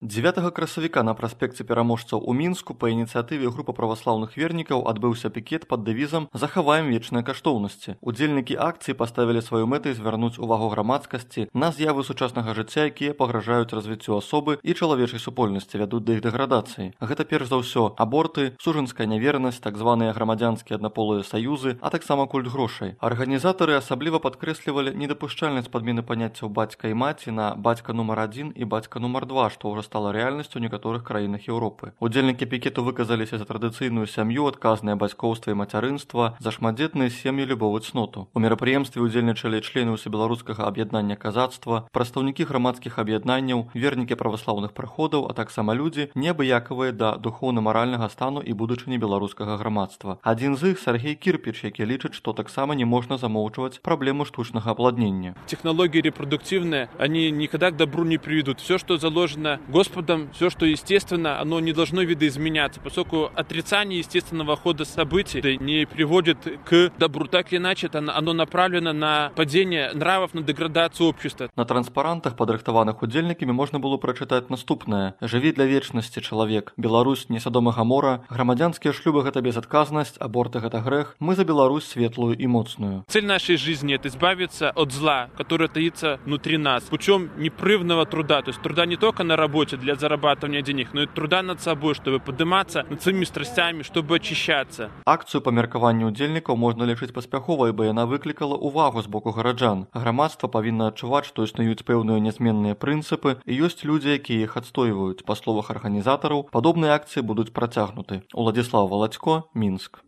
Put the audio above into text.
9 красавіка на праспекце пераможцаў у Мінску па ініцыятыве групы праваслаўных вернікаў адбыўся пікет пад дэвізам «Захаваем вечныя каштоўнасці». Удзельнікі акцыі паставілі сваёй мэтай звярнуць увагу грамадскасці на з'явы сучаснага жыцця, якія пагражаюць развіццю асобы і чалавечай супольнасці, вядуць да іх дэградацыі. Гэта перш за ўсё аборты, сужанская нявернасць, так званыя грамадзянскія аднаполыя саюзы, а таксама культ грошай. Арганізатары асабліва падкрэслівалі недапушчальнасць падмены паняццяў бацька і маці на бацька нумар 1 і бацька нумар 2, што ўжо стала рэальнасцю ў некаторых краінах Еўропы. Удзельнікі пікету выказаліся за традыцыйную сям'ю, адказнае бацькоўства і мацярынства, за шматдзетныя сем'і, любову цноту. У мерапрыемстве ўдзельнічалі члены ўсебеларускага аб'яднання казацтва, прадстаўнікі грамадскіх аб'яднанняў, вернікі праваслаўных прыходаў, а таксама людзі, неабыякавыя да духоўна-маральнага стану і будучыні беларускага грамадства. Адзін з іх Сергей Кірпіч, які лічыць, што таксама не можна замоўчваць праблему штучнага апладнення. Технологии репродуктивные, они никогда к добру не приведут. Все, что заложено Господом, все, что естественно, оно не должно видоизменяться, поскольку отрицание естественного хода событий не приводит к добру. Так или иначе, оно направлено на падение нравов, на деградацию общества. На транспарантах, падрыхтаваных удзельнікамі, можна было прачытаць наступнае: «Жыві для вечнасці, чалавек. Беларусь не Садом і Гамора. Грамадзянскія шлюбы — гэта безадказнасць, аборты — гэта грэх. Мы за Беларусь светлую и моцную». Цель нашей жизни — это избавиться от зла, которое таится внутри нас, путем непрерывного труда. То есть труда не только на работе для зарабатывания денег, но и труда над собой, чтобы подниматься над своими страстями, чтобы очищаться. Акцыю па меркаванню удзельнікаў можна лічыць паспяховай, бо яна выклікала ўвагу з боку гараджан. Грамадства павінна адчуваць, што існуюць пэўныя нязменныя прынцыпы і ёсць людзі, якія іх адстойваюць. Па словах арганізатараў, падобныя акцыі будуць працягнуты. Уладзіслаў Валацько, Мінск.